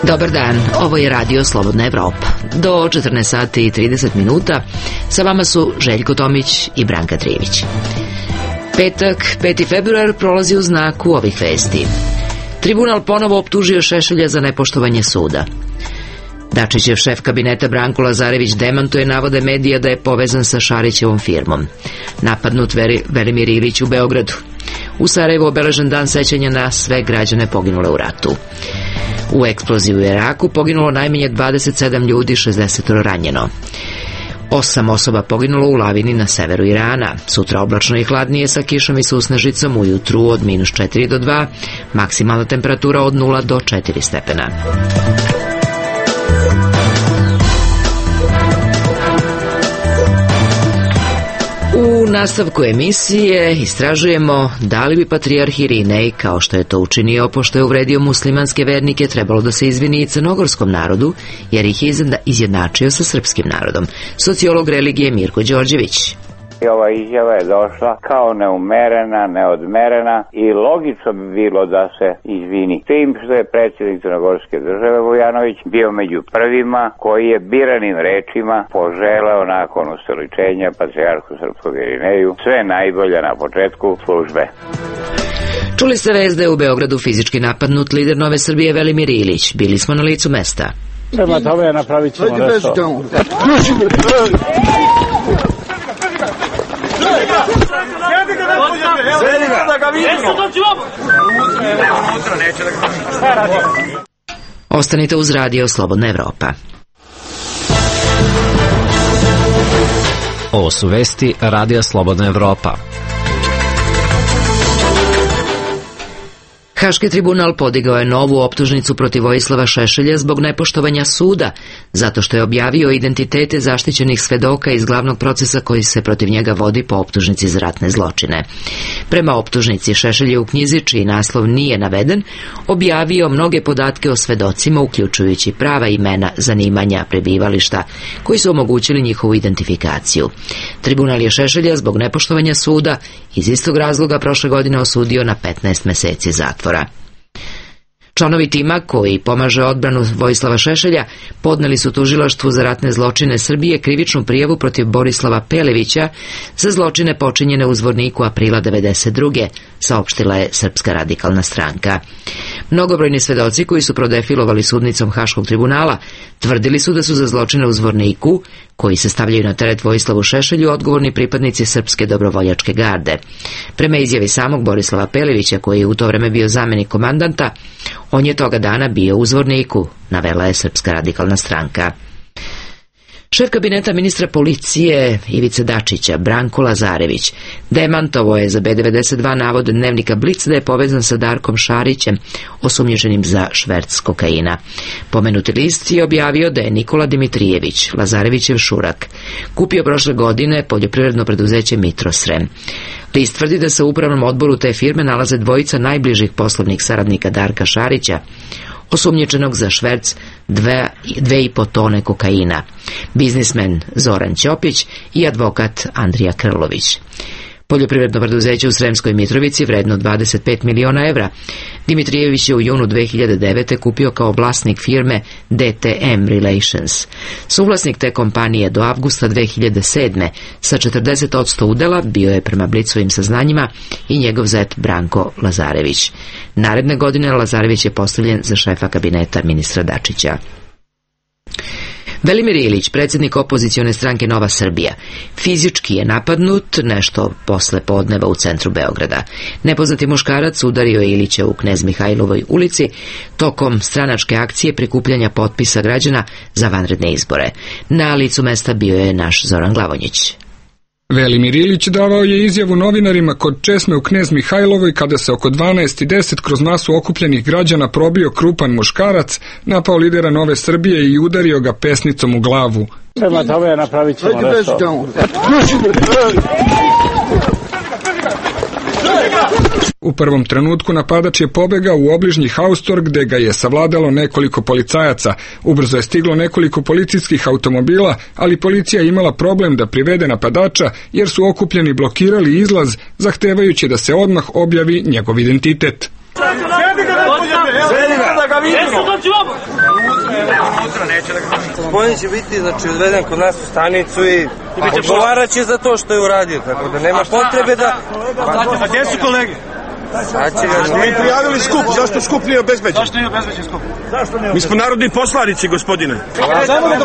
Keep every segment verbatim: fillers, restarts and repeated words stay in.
Dobar dan, ovo je Radio Slobodna Evropa. Do četrnaest sati i trideset minuta sa vama su Željko Tomić i Branka Trivić. Petak, peti februar, prolazi u znaku ovih vesti. Tribunal ponovo optužio Šešelja za nepoštovanje suda. Dačićev šef kabineta Branko Lazarević demantuje navode medija da je povezan sa Šarićevom firmom. Napadnut Velimir Ilić u Beogradu. U Sarajevu obeležen dan sećanja na sve građane poginule u ratu. U eksploziji u Iraku poginulo najmanje dvadeset sedam ljudi, šezdeset ranjeno. Osam osoba poginulo u lavini na severu Irana. Sutra oblačno i hladnije sa kišom i susnežicom, ujutru od minus četiri do dva, maksimalna temperatura od nula do četiri stepena. U nastavku emisije istražujemo da li bi patrijarh Irinej, kao što je to učinio pošto je uvredio muslimanske vernike, trebalo da se izvini i crnogorskom narodu, jer ih je izjednačio sa srpskim narodom. Sociolog religije Mirko Đorđević. I ova izjava je došla kao neumerena, neodmerena i logično bi bilo da se izvini. Tim što je predsjednik Crnogorske države Vujanović bio među prvima koji je biranim rečima poželeo nakon ustoličenja patrijarhu srpskog Irineju sve najbolje na početku službe. Čuli ste vest da je u Beogradu fizički napadnut lider Nove Srbije Velimir Ilić. Bili smo na licu mesta. Prema tome napravit ćemo nešto. Ostanite uz Radio Slobodna Evropa. Ovo su vesti Radija Slobodna Evropa. Haški tribunal podigao je novu optužnicu protiv Vojislava Šešelja zbog nepoštovanja suda, zato što je objavio identitete zaštićenih svedoka iz glavnog procesa koji se protiv njega vodi po optužnici za ratne zločine. Prema optužnici, Šešelj je u knjizi, čiji naslov nije naveden, objavio mnoge podatke o svedocima, uključujući prava imena, zanimanja, prebivališta, koji su omogućili njihovu identifikaciju. Tribunal je Šešelja zbog nepoštovanja suda iz istog razloga prošle godine osudio na petnaest meseci zatvora. Članovi tima koji pomaže odbranu Vojislava Šešelja podneli su tužilaštvu za ratne zločine Srbije krivičnu prijavu protiv Borislava Pelevića za zločine počinjene u Zvorniku aprila devedeset druge, saopštila je Srpska radikalna stranka. Mnogobrojni svedoci koji su prodefilovali sudnicom Haškog tribunala tvrdili su da su za zločine u Zvorniku, koji se stavljaju na teret Vojislavu Šešelju, odgovorni pripadnici Srpske dobrovoljačke garde. Prema izjavi samog Borislava Pelevića, koji je u to vreme bio zamenik komandanta, on je toga dana bio u Zvorniku, navela je Srpska radikalna stranka. Šef kabineta ministra policije Ivice Dačića, Branko Lazarević, demantovao je za B devedeset dva navod dnevnika Blic da je povezan sa Darkom Šarićem, osumnjičenim za šverc kokaina. Pomenuti list je objavio da je Nikola Dimitrijević, Lazarevićev šurak, kupio prošle godine poljoprivredno preduzeće Mitrosrem. List tvrdi da se u upravnom odboru te firme nalaze dvojica najbližih poslovnih saradnika Darka Šarića, osumnjičenog za šverc dve, dve i po tone kokaina, biznismen Zoran Ćopić i advokat Andrija Krlović. Poljoprivredno preduzeće u Sremskoj Mitrovici, vredno dvadeset pet miliona evra, Dimitrijević je u junu dve hiljade devete. kupio kao vlasnik firme D T M Relations. Suvlasnik te kompanije do avgusta dve hiljade sedme. sa četrdeset posto udela bio je prema Blicovim saznanjima i njegov zet Branko Lazarević. Naredne godine Lazarević je postavljen za šefa kabineta ministra Dačića. Velimir Ilić, predsjednik opozicione stranke Nova Srbija, fizički je napadnut nešto posle podneva u centru Beograda. Nepoznati muškarac udario je Ilića u Knez Mihajlovoj ulici tokom stranačke akcije prikupljanja potpisa građana za vanredne izbore. Na licu mesta bio je naš Zoran Glavonjić. Velimir Ilić davao je izjavu novinarima kod česme u Knez Mihajlovoj kada se oko dvanaest i deset kroz masu okupljenih građana probio krupan muškarac, napao lidera Nove Srbije i udario ga pesnicom u glavu. Prema tome napravit ćemo nešto. U prvom trenutku napadač je pobegao u obližnji haustor gde ga je savladalo nekoliko policajaca. Ubrzo je stiglo nekoliko policijskih automobila, ali policija je imala problem da privede napadača jer su okupljeni blokirali izlaz, zahtevajući da se odmah objavi njegov identitet. Gospodin će biti znači, odveden kod nas u stanicu i odgovarat će za to što je uradio, tako da nema potrebe da... A gdje su kolege? Smo mi prijavili skup, zašto skup nije obezbeđen? Zašto nije obezbeđen skup? Mi smo narodni poslanici, gospodine. Samo da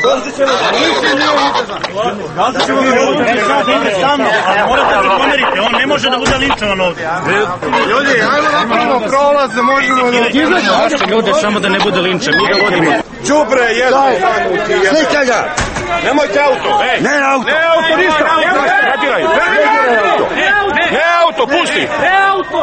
dođe ćemo... Dođe ćemo mi ovdje, morate da pomerite, on ne može da bude linčovan ovdje. Ljudi, ajmo napravimo prolaz da možemo da... Zašto ljude, samo da ne bude linčan, mi ga vodimo. Đubre, jedno! Slika ga! Nemojte auto! Ne auto! Ne auto, ništa! Zatiraj! Ne auto, pusti! Ne auto!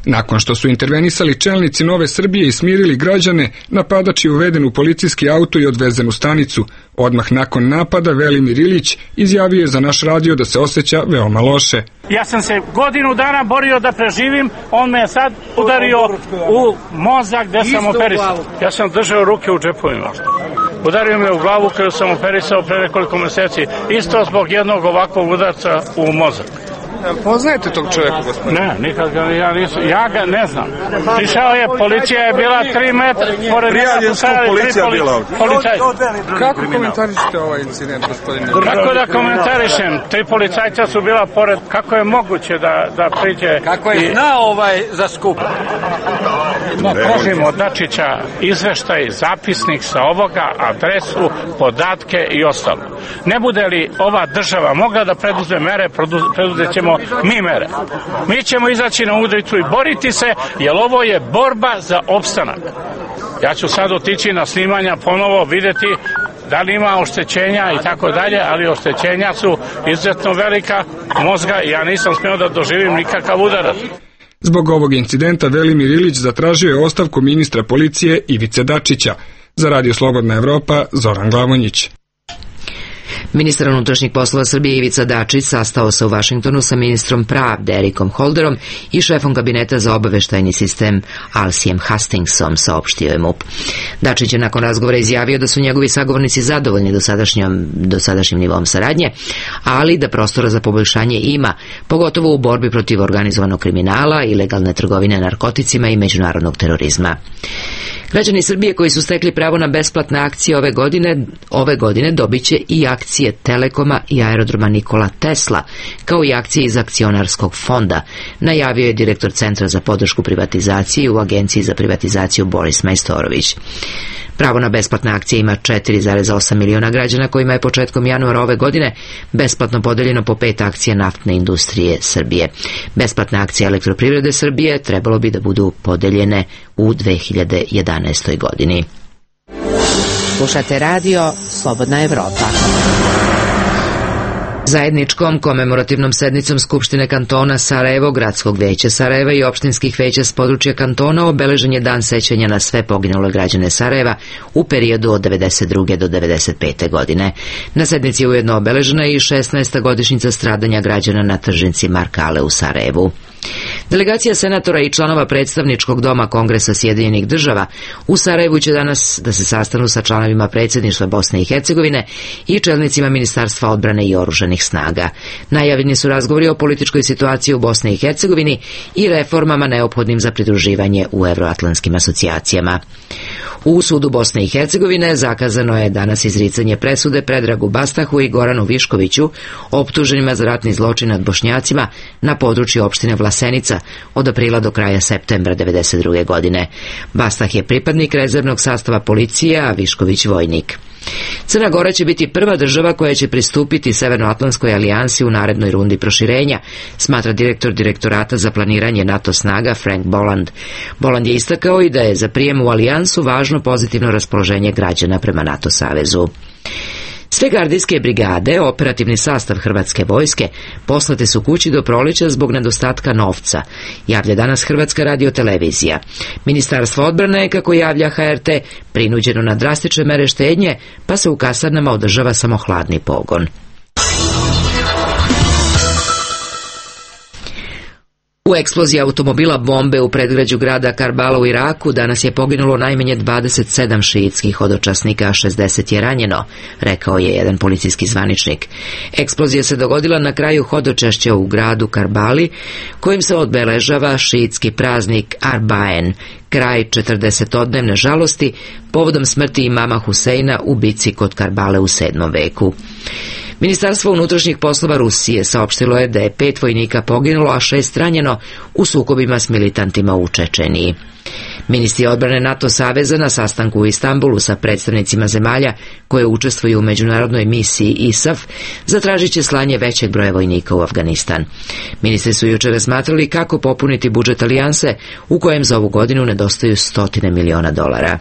Nakon što su intervenisali čelnici Nove Srbije i smirili građane, napadač je uveden u policijski auto i odvezen u stanicu. Odmah nakon napada Velimir Ilić izjavio je za naš radio da se osjeća veoma loše. Ja sam se godinu dana borio da preživim, on me je sad udario u mozak gde sam operisao. Ja sam držao ruke u džepovima. Udario me u glavu koju sam operisao pre nekoliko meseci, isto zbog jednog ovakvog udarca u mozak. Poznajete tog čovjeka, gospodine? Ne, nikad ga ja nisam, ja ga ne znam. Prišao je, policija je bila tri metra, pored prijavljen skup, policija je bila ovdje. Policaj. Kako komentarišete ovaj incident, gospodine? Kako da komentarišem? Tri policajca su bila pored, kako je moguće da, da priđe... Kako je znao ovaj za skup? No, tražimo od Dačića izveštaj, zapisnik sa ovoga, adresu, podatke i ostalo. Ne bude li ova država mogla da preduzme mere, preduzet ćemo mi mere. Mi ćemo izaći na ulicu i boriti se, jer ovo je borba za opstanak. Ja ću sad otići na snimanja, ponovo videti da li ima oštećenja i tako dalje, ali oštećenja su izuzetno velika mozga i ja nisam smio da doživim nikakav udarac. Zbog ovog incidenta Velimir Ilić zatražio je ostavku ministra policije Ivice Dačića. Za Radio Slobodna Evropa, Zoran Glavonjić. Ministar unutrašnjih poslova Srbije Ivica Dačić sastao se u Vašingtonu sa ministrom pravde Erikom Holderom i šefom kabineta za obaveštajni sistem Alsijem Hastingsom, saopštio je MUP. Dačić je nakon razgovora izjavio da su njegovi sagovornici zadovoljni dosadašnjom, dosadašnjim nivom saradnje, ali da prostora za poboljšanje ima, pogotovo u borbi protiv organizovanog kriminala, ilegalne trgovine narkoticima i međunarodnog terorizma. Građani Srbije koji su stekli pravo na besplatne akcije ove godine, ove godine dobit će i akcije Telekoma i aerodroma Nikola Tesla, kao i akcije iz akcionarskog fonda, najavio je direktor Centra za podršku privatizaciji u Agenciji za privatizaciju Boris Majstorović. Pravo na besplatne akcije ima četiri zarez osam miliona građana kojima je početkom januara ove godine besplatno podeljeno po pet akcija naftne industrije Srbije. Besplatne akcije Elektroprivrede Srbije trebalo bi da budu podeljene u dve hiljade jedanaestoj godini. Slušate radio Slobodna Evropa. Zajedničkom komemorativnom sednicom Skupštine kantona Sarajevo, Gradskog veća Sarajeva i opštinskih veća s područja kantona obeležen je dan sećanja na sve poginule građane Sarajeva u periodu od devedeset druge do devedeset pete godine. Na sednici je ujedno obeležena i šesnaesta godišnjica stradanja građana na tržnici Markale u Sarajevu. Delegacija senatora i članova predstavničkog doma Kongresa Sjedinjenih država u Sarajevu će danas da se sastanu sa članovima predsjedništva Bosne i Hercegovine i čelnicima Ministarstva odbrane i oružanih snaga. Najavljeni su razgovori o političkoj situaciji u Bosni i Hercegovini i reformama neophodnim za pridruživanje u evroatlantskim asocijacijama. U sudu Bosne i Hercegovine zakazano je danas izricanje presude Predragu Bastahu i Goranu Viškoviću, optuženima za ratni zločin nad Bošnjacima na području opštine Vlasenica od aprila do kraja septembra devedeset druge godine. Bastah je pripadnik rezervnog sastava policije, a Višković vojnik. Crna Gora će biti prva država koja će pristupiti Severnoatlantskoj alijansi u narednoj rundi proširenja, smatra direktor direktorata za planiranje NATO snaga Frank Boland. Boland je istakao i da je za prijem u alijansu važno pozitivno raspoloženje građana prema NATO savezu. Sve gardijske brigade, operativni sastav hrvatske vojske, poslate su kući do proleća zbog nedostatka novca, javlja danas Hrvatska radiotelevizija. Ministarstvo odbrane, kako javlja H R T, prinuđeno na drastične mere štednje, pa se u kasarnama održava samo hladni pogon. U eksploziji automobila bombe u predgrađu grada Karbala u Iraku danas je poginulo najmanje dvadeset sedam šiitskih hodočasnika, a šezdeset je ranjeno, rekao je jedan policijski zvaničnik. Eksplozija se dogodila na kraju hodočašća u gradu Karbali, kojim se obeležava šiitski praznik Arbaen, kraj četrdesetodnevne žalosti povodom smrti imama Huseina u bici kod Karbale u sedmom veku. Ministarstvo unutrašnjih poslova Rusije saopštilo je da je pet vojnika poginulo, a šest ranjeno u sukobima s militantima u Čečeniji. Ministri odbrane NATO saveza na sastanku u Istanbulu sa predstavnicima zemalja koje učestvuju u međunarodnoj misiji I S A F zatražit će slanje većeg broja vojnika u Afganistan. Ministri su jučer razmatrali kako popuniti budžet alijanse u kojem za ovu godinu nedostaju stotine miliona dolara.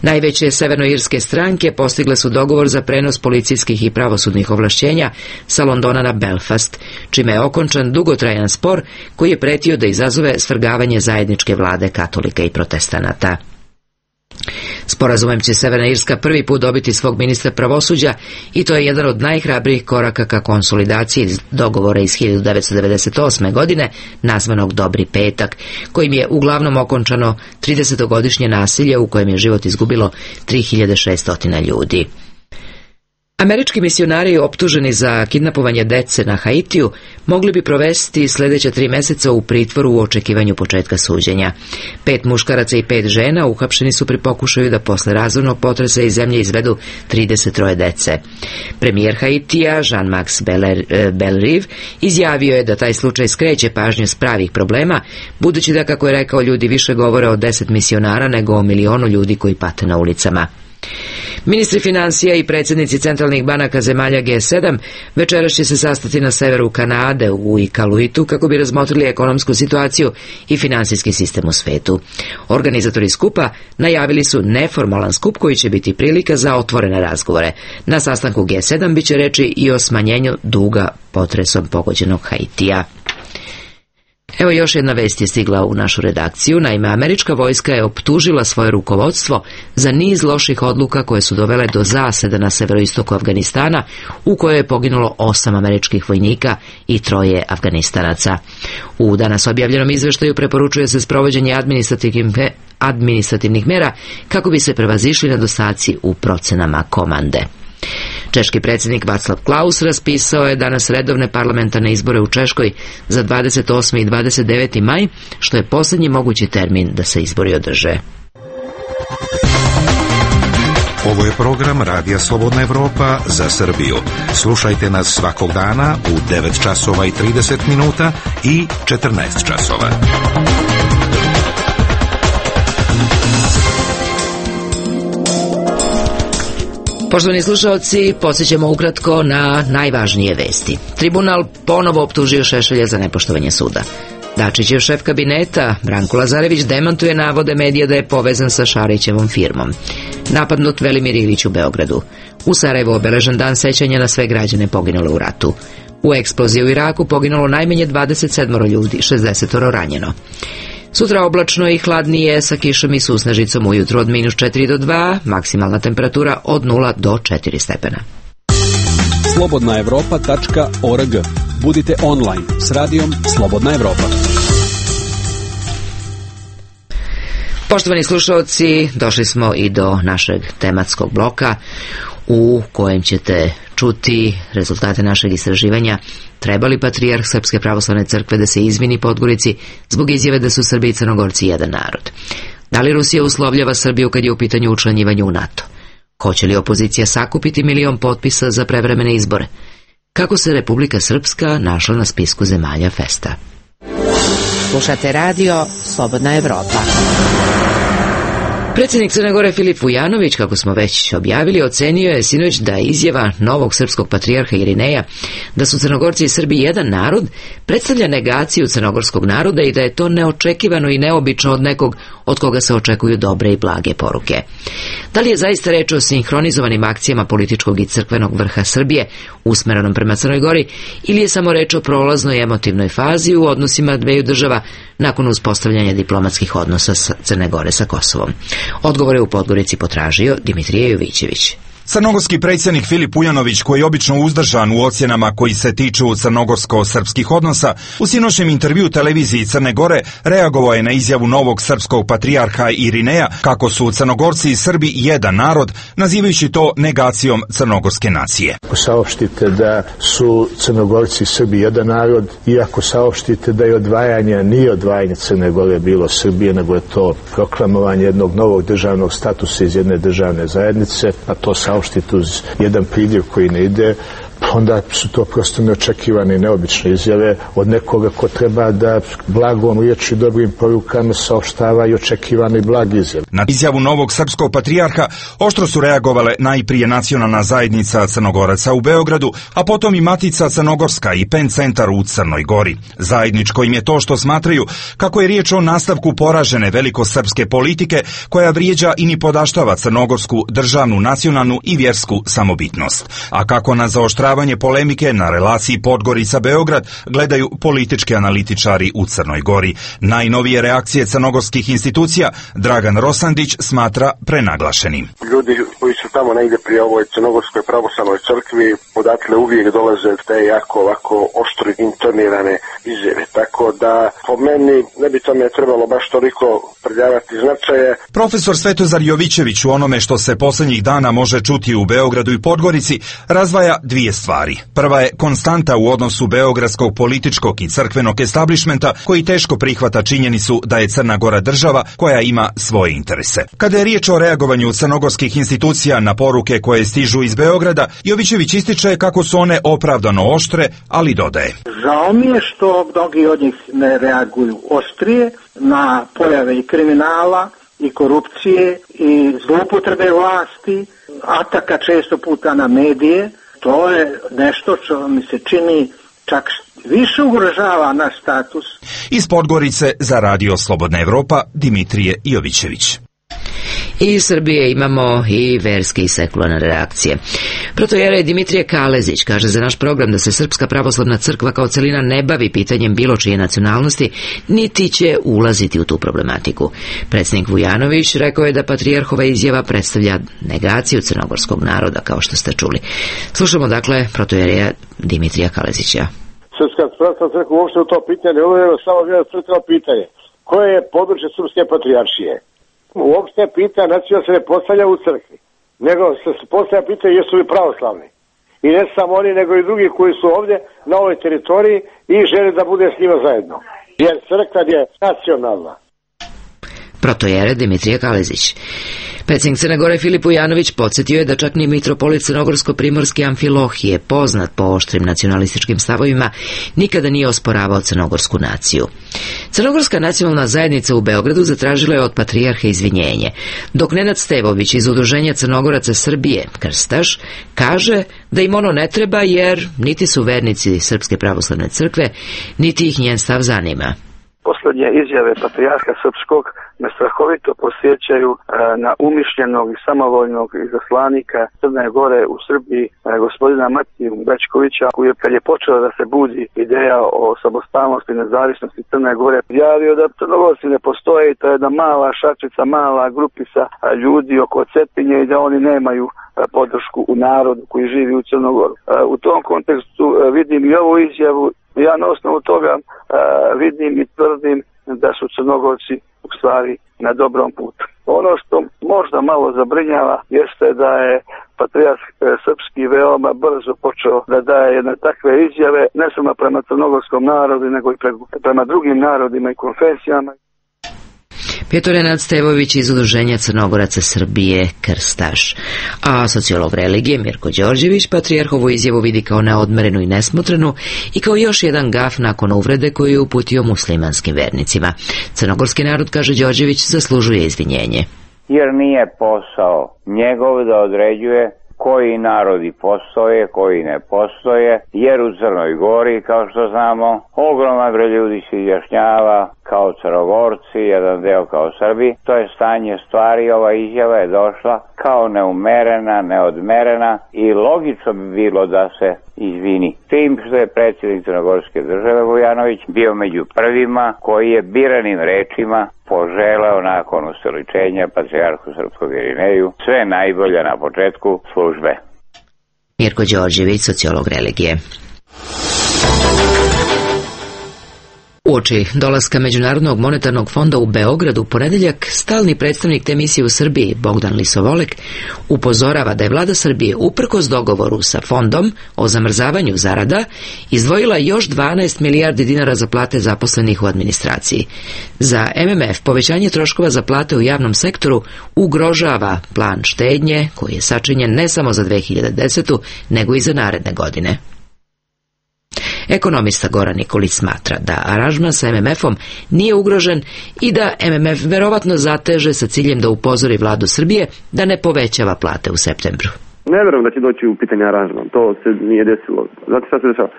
Najveće severnoirske stranke postigle su dogovor za prenos policijskih i pravosudnih ovlašćenja sa Londona na Belfast, čime je okončan dugotrajan spor koji je pretio da izazove svrgavanje zajedničke vlade katolika i protestanata. Sporazumem će Severna Irska prvi put dobiti svog ministra pravosuđa i to je jedan od najhrabrijih koraka ka konsolidaciji dogovora iz hiljadu devetsto devedeset osme. godine, nazvanog Dobri petak, kojim je uglavnom okončano tridesetogodišnje nasilje u kojem je život izgubilo tri hiljade šesto ljudi. Američki misionari optuženi za kidnapovanje dece na Haitiju mogli bi provesti sljedeća tri meseca u pritvoru u očekivanju početka suđenja. Pet muškaraca i pet žena uhapšeni su pri pokušaju da posle razornog potresa iz zemlje izvedu trideset troje dece. Premijer Haitija, Jean-Max Bellerive, izjavio je da taj slučaj skreće pažnju s pravih problema, budući da, kako je rekao, ljudi više govore o deset misionara nego o milionu ljudi koji pate na ulicama. Ministri financija i predsjednici centralnih banaka zemalja G sedam večeras će se sastati na severu Kanade u Iqaluitu kako bi razmotrili ekonomsku situaciju i finansijski sistem u svetu. Organizatori skupa najavili su neformalan skup koji će biti prilika za otvorene razgovore. Na sastanku G sedam biće reči i o smanjenju duga potresom pogođenog Haitija. Evo još jedna vest je stigla u našu redakciju. Naime, američka vojska je optužila svoje rukovodstvo za niz loših odluka koje su dovele do zaseda na severoistoku Afganistana, u kojoj je poginulo osam američkih vojnika i troje Afganistanaca. U danas objavljenom izveštaju preporučuje se sprovođenje administrativnih, administrativnih mera kako bi se prevazišli nedostaci u procenama komande. Češki predsjednik Václav Klaus raspisao je danas redovne parlamentarne izbore u Češkoj za dvadeset osmi i dvadeset deveti maj, što je posljednji mogući termin da se izbori održe. Ovo je program Radija Slobodna Evropa za Srbiju. Slušajte nas svakog dana u devet časova i trideset minuta i četrnaest časova. Poštovani slušalci, podsjećamo ukratko na najvažnije vesti. Tribunal ponovo optužio Šešelja za nepoštovanje suda. Dačićev šef kabineta, Branko Lazarević, demantuje navode medija da je povezan sa Šarićevom firmom. Napadnut Velimir Ilić u Beogradu. U Sarajevu obeležen dan sećanja na sve građane poginule u ratu. U eksploziji u Iraku poginulo najmanje dvadeset sedam ljudi, šezdeset ranjeno. Sutra oblačno i hladnije sa kišom i susnežicom, ujutro od minus četiri do dva, maksimalna temperatura od nula do četiri stepena. slobodna evropa tačka org. Budite online s radijom Slobodna Evropa. Poštovani slušalci, došli smo i do našeg tematskog bloka u kojem ćete čuti rezultate našeg istraživanja treba li patrijarh Srpske pravoslavne crkve da se izvini Podgorici zbog izjave da su Srbi i Crnogorci jedan narod. Da li Rusija uslovljava Srbiju kad je u pitanju učlanjivanje u NATO? Hoće li opozicija sakupiti milion potpisa za prevremene izbore? Kako se Republika Srpska našla na spisku zemalja Festa? Slušate radio Slobodna Evropa. Predsjednik Crne Gore Filip Vujanović, kako smo već objavili, ocenio je sinoć da izjava novog srpskog patrijarha Irineja da su Crnogorci i Srbi jedan narod predstavlja negaciju crnogorskog naroda i da je to neočekivano i neobično od nekog od koga se očekuju dobre i blage poruke. Da li je zaista reč o sinhronizovanim akcijama političkog i crkvenog vrha Srbije usmerenom prema Crnoj Gori ili je samo reč o prolaznoj emotivnoj fazi u odnosima dveju država nakon uspostavljanja diplomatskih odnosa sa Crne Gore sa Kosovom? Odgovore u Podgorici potražio Dimitrije Jovićević. Crnogorski predsjednik Filip Vujanović, koji je obično uzdržan u ocjenama koji se tiču crnogorsko-srpskih odnosa, u sinoćnjem intervju televiziji Crne Gore reagovao je na izjavu novog srpskog patrijarha Irineja kako su Crnogorci i Srbi jedan narod, nazivajući to negacijom crnogorske nacije. Ako saopštite da su Crnogorci i Srbi jedan narod, iako saopštite da je odvajanje, nije odvajanje Crne Gore bilo Srbije, nego je to proklamovanje jednog novog državnog statusa iz jedne državne zajednice, a to saopštite uz jedan pridjev koji ne ide, onda su to prosto neočekivane i neobične izjave od nekoga ko treba da blagom riječi i dobrim porukama saopštava i očekivane i blage izjave. Na izjavu novog srpskog patrijarha oštro su reagovale najprije nacionalna zajednica Crnogoraca u Beogradu, a potom i Matica Crnogorska i Pen centar u Crnoj Gori. Zajedničko im je to što smatraju kako je riječ o nastavku poražene velikosrpske politike koja vrijeđa i nipodaštava crnogorsku državnu, nacionalnu i vjersku samobitnost. A kako na zaoštravanje polemike na relaciji Podgorica-Beograd gledaju politički analitičari u Crnoj Gori. Najnovije reakcije crnogorskih institucija Dragan Rosandić smatra prenaglašenim. Ljudi koji su tamo negdje pri ovoj crnogorskoj pravoslavnoj crkvi odatle uvijek dolaze te jako ovako oštro intonirane izjave. Tako da po meni ne bi tome trebalo baš toliko pridavati značaje. Profesor Svetozar Jovićević u onome što se posljednjih dana može čuti u Beogradu i Podgorici razvaja dvije stvari. Prva je konstanta u odnosu beogradskog političkog i crkvenog establišmenta koji teško prihvata činjenicu da je Crna Gora država koja ima svoje interese. Kada je riječ o reagovanju crnogorskih institucija na poruke koje stižu iz Beograda, Jovićević ističe kako su one opravdano oštre, ali dodaje: žao mi je što mnogi od njih ne reaguju oštrije na pojave i kriminala i korupcije i zloupotrebe vlasti, ataka često puta na medije. To je nešto što mi se čini čak više ugrožava naš status. Iz Podgorice za Radio Slobodna Evropa, Dimitrije Jovićević. I iz Srbije imamo i verske i sekularne reakcije. Protojerej Dimitrije Kalezić kaže za naš program da se Srpska pravoslavna crkva kao celina ne bavi pitanjem bilo čije nacionalnosti, niti će ulaziti u tu problematiku. Predsjednik Vujanović rekao je da patrijarhova izjava predstavlja negaciju crnogorskog naroda, kao što ste čuli. Slušamo dakle protojereja Dimitrija Kalezića. Srpska pravoslavna crkva uopšte u to pitanje, ovo je samo jedno crkveno pitanje. Koje je područje Srpske patrijaršije? Uopšte pitanje nacionalno se ne postavlja u crkvi, nego se postavlja pitanje jesu li pravoslavni. I ne samo oni, nego i drugi koji su ovdje na ovoj teritoriji i žele da bude s njima zajedno. Jer crkva je nacionalna. Protojere Dimitrije Kalezić. Predsjednik Crne Gore Filip Vujanović podsjetio je da čak ni mitropolit crnogorsko-primorski Amfilohije, poznat po oštrim nacionalističkim stavovima, nikada nije osporavao crnogorsku naciju. Crnogorska nacionalna zajednica u Beogradu zatražila je od patrijarha izvinjenje, dok Nenad Stevović iz Udruženja Crnogoraca Srbije, Krstaš, kaže da im ono ne treba jer niti su vernici Srpske pravoslavne crkve, niti ih njen stav zanima. Posljednje izjave patrijarha srpskog me strahovito posjećaju e, na umišljenog i samovoljnog izaslanika Crne Gore u Srbiji, e, gospodina Matiju Bečkovića, koji je kad je počela da se budi ideja o samostalnosti i nezavisnosti Crne Gore, javio da Crnogorci ne postoje, to je jedna mala šačica, mala grupica a, ljudi oko Cetinje i da oni nemaju a, podršku u narodu koji živi u Crnogoru. A, u tom kontekstu a, vidim i ovu izjavu. Ja na osnovu toga a, vidim i tvrdim da su Crnogorci u stvari na dobrom putu. Ono što možda malo zabrinjava jeste da je patrijarh srpski veoma brzo počeo da daje jedne takve izjave, ne samo prema crnogorskom narodu, nego i prema drugim narodima i konfesijama. Pjeto Nenad Stevović iz Udruženja Crnogoraca Srbije, Krstaš. A sociolog religije Mirko Đorđević patrijarhovu izjavu vidi kao neodmerenu i nesmotrenu i kao još jedan gaf nakon uvrede koju je uputio muslimanskim vernicima. Crnogorski narod, kaže Đorđević, zaslužuje izvinjenje. jer nije posao njegov da određuje koji narodi postoje, koji ne postoje, jer u Crnoj Gori, kao što znamo, ogroman broj ljudi se izjašnjava kao Crnogorci, jedan deo kao Srbi. To je stanje stvari, ova izjava je došla kao neumerena, neodmerena i logično bi bilo da se izvini. Tim što je predsjednik Crnogorske države Vujanović bio među prvima koji je biranim rečima poželeo nakon ustoličenja patrijarhu srpskog Irineju sve najbolje na početku službe. Mirko Đorđević, sociolog religije. Uoči dolaska Međunarodnog monetarnog fonda u Beograd u ponedeljak, stalni predstavnik te misije u Srbiji, Bogdan Lisovolek, upozorava da je vlada Srbije, uprkos dogovoru sa fondom o zamrzavanju zarada, izdvojila još dvanaest milijardi dinara za plate zaposlenih u administraciji. Za M M F povećanje troškova za plate u javnom sektoru ugrožava plan štednje, koji je sačinjen ne samo za dve hiljade desetu. nego i za naredne godine. Ekonomista Goran Nikolić smatra da aranžman sa M M F-om nije ugrožen i da M M F verovatno zateže sa ciljem da upozori vladu Srbije da ne povećava plate u septembru. Ne verujem da će doći u pitanje aranžman, to se nije desilo. Znate šta se dešava?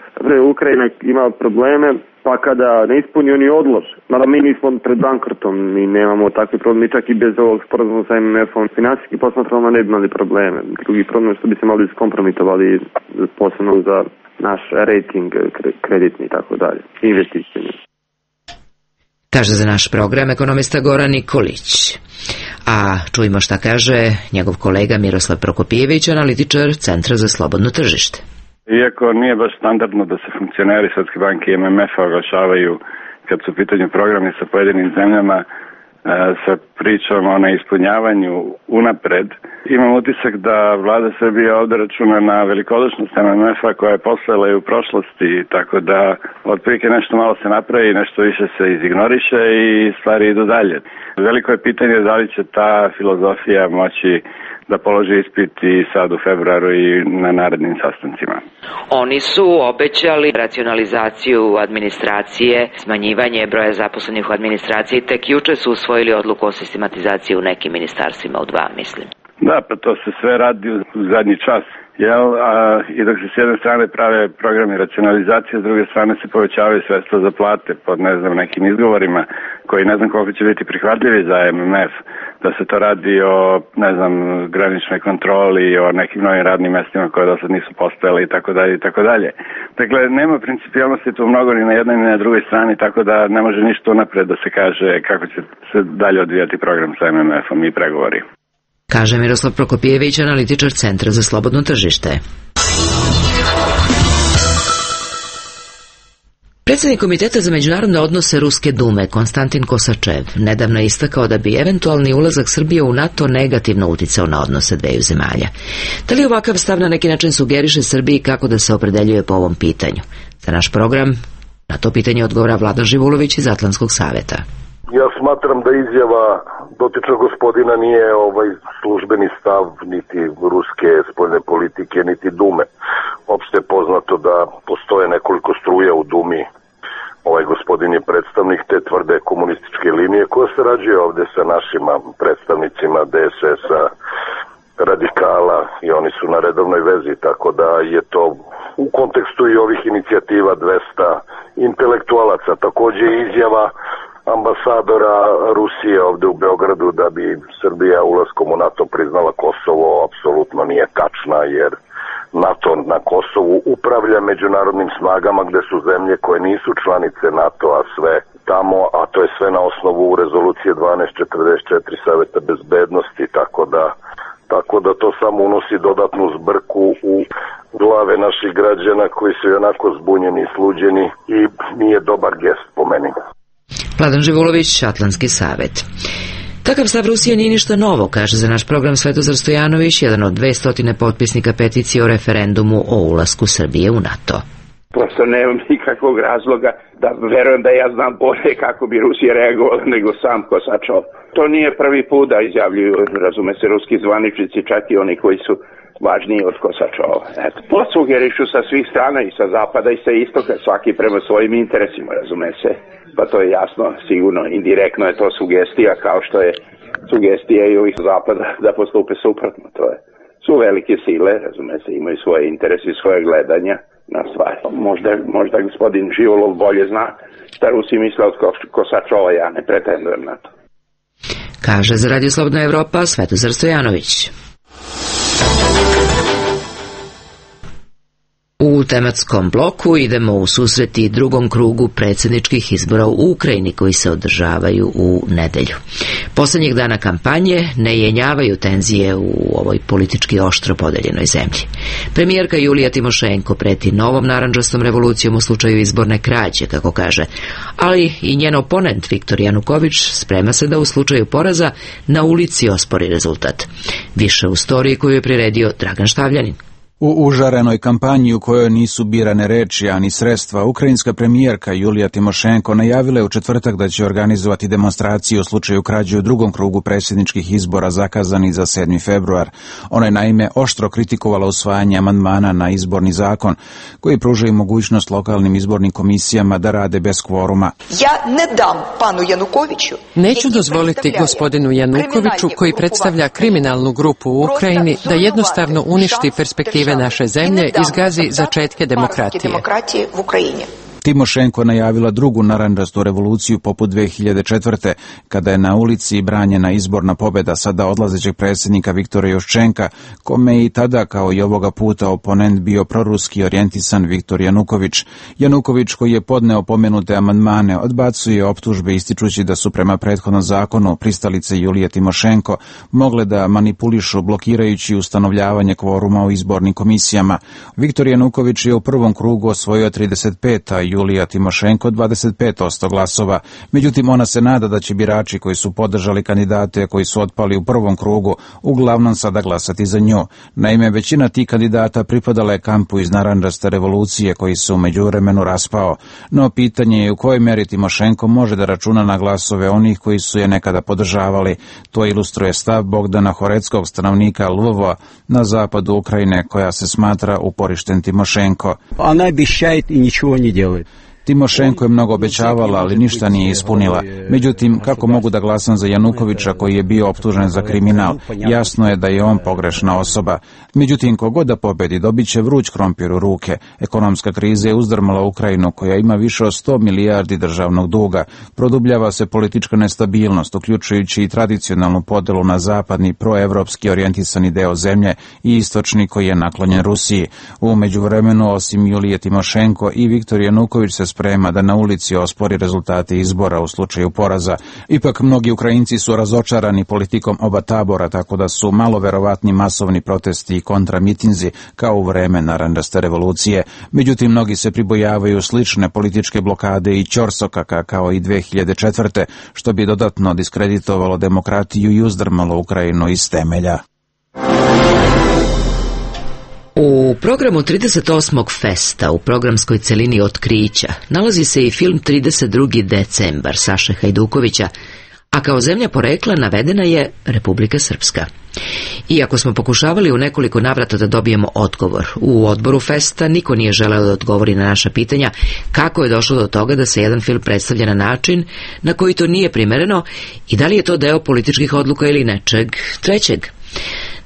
Ukrajina ima probleme, pa kada ne ispuni oni odlože. Mada mi nismo pred bankrotom, mi nemamo takve probleme, mi čak i bez ovog sporazuma sa M M F-om finansijski posmatramo ne bi imali probleme. Drugi problem je što bi se malo iskompromitovali posebno za naš rating kreditni i tako dalje, investicijni. Kaže za naš program ekonomista Goran Nikolić. A čujmo šta kaže njegov kolega Miroslav Prokopijević, analitičar Centra za slobodno tržište. Iako nije baš standardno da se funkcioneri Svetske banke i M M F-a oglašavaju kad su u pitanju programi sa pojedinim zemljama sa pričom o neispunjavanju unapred, imam utisak da vlada Srbije ovdje računa na velikodušnost M M F-a koja je postojala i u prošlosti, tako da otprilike nešto malo se napravi, nešto više se izignoriše i stvari idu dalje. Veliko je pitanje da li će ta filozofija moći da položi ispit i sad u februaru i na narednim sastancima. Oni su obećali racionalizaciju administracije, smanjivanje broja zaposlenih u administraciji, tek juče su usvojili odluku o sistematizaciji u nekim ministarstvima, u dva mislim. Da, pa to se sve radi u zadnji čas. Jel, a, i dok se s jedne strane prave programi racionalizacije, s druge strane se povećavaju sredstva za plate pod ne znam nekim izgovorima koji ne znam koliko će biti prihvatljivi za M M F, da se to radi o ne znam graničnoj kontroli, o nekim novim radnim mestima koje do sad nisu postojale i tako dalje i tako dalje. Dakle, nema principijalnosti tu mnogo ni na jednoj ni na drugoj strani, tako da ne može ništa unapred da se kaže kako će se dalje odvijati program sa M M F-om i pregovori. Kaže Miroslav Prokopijević, analitičar Centra za slobodno tržište. Predsjednik Komiteta za međunarodne odnose Ruske dume Konstantin Kosačev nedavno je istakao da bi eventualni ulazak Srbije u NATO negativno uticao na odnose dveju zemalja. Da li ovakav stav na neki način sugeriše Srbiji kako da se opredeljuje po ovom pitanju? Za naš program na to pitanje odgovara Vladan Živulović iz Atlantskog saveta. Ja smatram da izjava dotičnog gospodina nije ovaj službeni stav niti ruske spoljne politike, niti Dume. Opšte je poznato da postoje nekoliko struja u Dumi. Ovaj gospodin je predstavnik te tvrde komunističke linije koja se rađuje ovde sa našima predstavnicima D S S-a, radikala i oni su na redovnoj vezi, tako da je to u kontekstu i ovih inicijativa dvesta intelektualaca. Takođe izjava ambasadora Rusije ovde u Beogradu da bi Srbija ulaskom u NATO priznala Kosovo apsolutno nije tačna, jer NATO na Kosovu upravlja međunarodnim snagama gde su zemlje koje nisu članice NATO-a sve tamo, a to je sve na osnovu rezolucije dvanaest četrdeset četiri Saveta bezbednosti, tako da tako da to samo unosi dodatnu zbrku u glave naših građana koji su onako zbunjeni i sluđeni i nije dobar gest po meni. Vladan Živulović, Atlantski savet. Takav stav Rusije nije ništa novo, kaže za naš program Svetozar Stojanović, jedan od dvestotine potpisnika peticije o referendumu o ulasku Srbije u NATO. Prosto nemam nikakvog razloga da verujem da ja znam bolje kako bi Rusija reagovala nego sam Kosačov. To nije prvi put da izjavljuju, razume se, ruski zvaničnici, čak i oni koji su važniji od kosačova. Eto, to sugerišu sa svih strana, i sa zapada i sa istoka, svaki prema svojim interesima, razume se. Pa to je jasno, sigurno, indirektno je to sugestija, kao što je sugestija i ovih zapada da postupe suprotno. To je, su velike sile, razume se, imaju svoje interese i svoje gledanja na stvari. Možda, možda gospodin Živolov bolje zna šta Rusi misle od kosačova, ja ne pretendujem na to. Kaže za Radio Slobodna Evropa Svetozar Stojanović. U tematskom bloku idemo u susreti drugom krugu predsjedničkih izbora u Ukrajini koji se održavaju u nedelju. Poslednjih dana kampanje ne jenjavaju tenzije u ovoj politički oštro podeljenoj zemlji. Premijerka Julija Timošenko preti novom narandžastom revolucijom u slučaju izborne krađe, kako kaže, ali i njen oponent Viktor Januković sprema se da u slučaju poraza na ulici ospori rezultat. Više u storiji koju je priredio Dragan Štavljanin. U užarenoj kampanji u kojoj nisu birane reči, ani sredstva, ukrajinska premijerka Julija Timošenko najavila je u četvrtak da će organizovati demonstraciju u slučaju krađe u drugom krugu predsjedničkih izbora zakazani za sedmi februar. Ona je naime oštro kritikovala usvajanje amandmana na izborni zakon, koji pružaju mogućnost lokalnim izbornim komisijama da rade bez kvoruma. Ja ne dam panu Janukoviću. Neću dozvoliti gospodinu Janukoviću, koji predstavlja kriminalnu grupu u Ukrajini, da jednostavno uništi perspektive naše zemlje i zgazi začetke demokratije. Timošenko najavila drugu narandžastu revoluciju poput dve hiljade četvrte. kada je na ulici branjena izborna pobjeda sada odlazećeg predsjednika Viktora Juščenka, kome je i tada kao i ovoga puta oponent bio proruski orijentisan Viktor Januković. Januković, koji je podneo pomenute amandmane, odbacuje optužbe ističući da su prema prethodnom zakonu pristalice Julije Timošenko mogle da manipulišu blokirajući ustanovljavanje kvoruma u izbornim komisijama. Viktor Januković je u prvom krugu osvojio trideset pet, a Julija Timošenko dvadeset pet posto glasova. Međutim, ona se nada da će birači koji su podržali kandidate koji su otpali u prvom krugu uglavnom sada glasati za nju. Naime, većina tih kandidata pripadala je kampu iz narandžaste revolucije koji se u međuvremenu raspao. No pitanje je u kojoj meri Timošenko može da računa na glasove onih koji su je nekada podržavali. To ilustruje stav Bogdana Horeckog, stanovnika Lvova na zapadu Ukrajine, koja se smatra uporišten Timošenko. Ona обещает i ničего не делает. Timošenko je mnogo obećavala, ali ništa nije ispunila. Međutim, kako mogu da glasam za Janukovića koji je bio optužen za kriminal? Jasno je da je on pogrešna osoba. Međutim, kogod da pobedi, dobit će vruć krompir u ruke. Ekonomska kriza je uzdrmala Ukrajinu, koja ima više od sto milijardi državnog duga. Produbljava se politička nestabilnost, uključujući i tradicionalnu podelu na zapadni, proevropski orijentisani deo zemlje i istočni koji je naklonjen Rusiji. U međuvremenu, osim Julije Timošenko, i Viktor Januković se sprema da na ulici ospori rezultate izbora u slučaju poraza. Ipak mnogi Ukrajinci su razočarani politikom oba tabora, tako da su malo verovatni masovni protesti i kontramitinzi kao u vreme narandžaste revolucije. Međutim, mnogi se pribojavaju slične političke blokade i ćorsokaka kao i dve hiljade četvrte, što bi dodatno diskreditovalo demokratiju i uzdrmalo Ukrajinu iz temelja. U programu trideset osmog festa u programskoj celini Otkrića nalazi se i film trideset drugi decembar Saše Hajdukovića, a kao zemlja porekla navedena je Republika Srpska. Iako smo pokušavali u nekoliko navrata da dobijemo odgovor, u odboru festa niko nije želeo da odgovori na naša pitanja kako je došlo do toga da se jedan film predstavlja na način na koji to nije primereno i da li je to deo političkih odluka ili nečeg trećeg.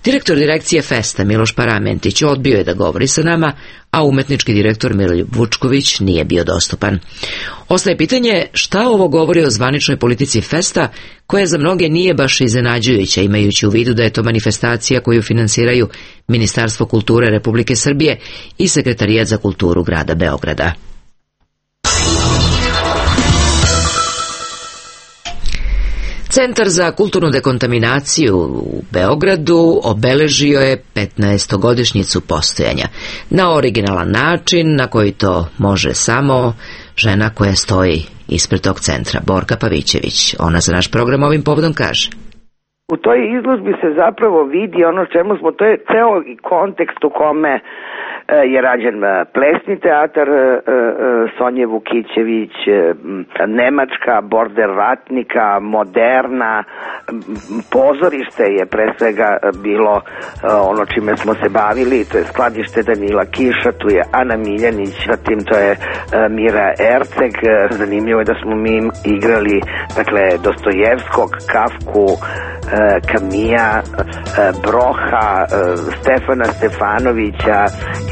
Direktor direkcije Festa Miloš Paramentić odbio je da govori sa nama, a umetnički direktor Miroljub Vučković nije bio dostupan. Ostaje pitanje šta ovo govori o zvaničnoj politici Festa, koja za mnoge nije baš iznenađujuća, imajući u vidu da je to manifestacija koju finansiraju Ministarstvo kulture Republike Srbije i Sekretarijat za kulturu grada Beograda. Centar za kulturnu dekontaminaciju u Beogradu obeležio je petnaestogodišnjicu postojanja na originalan način na koji to može samo žena koja stoji ispred tog centra, Borka Pavićević. Ona za naš program ovim povodom kaže: u toj izložbi se zapravo vidi ono čemu smo, to je ceo kontekst u kome je rađen plesni teatar Sonje Vukićević, nemačka, border ratnika, moderna, pozorište je pre svega bilo ono čime smo se bavili, to je skladište Danila Kiša, tu je Ana Miljanić, zatim to je Mira Erceg. Zanimljivo je da smo mi igrali dakle Dostojevskog, Kafku, Kamija, Broha, Stefana Stefanovića,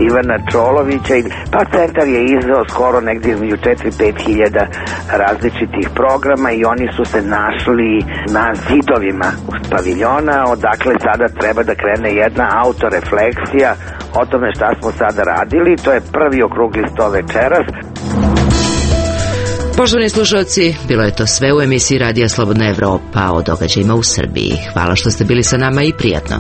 Ivana Čolovića, pa centar je izdao skoro negdje između četiri do pet hiljada različitih programa i oni su se našli na zidovima paviljona, odakle sada treba da krene jedna autorefleksija o tome šta smo sada radili. To je prvi okrugli sto večeras. Poštovani slušalci, bilo je to sve u emisiji Radija Slobodna Evropa o događajima u Srbiji. Hvala što ste bili sa nama i prijatno.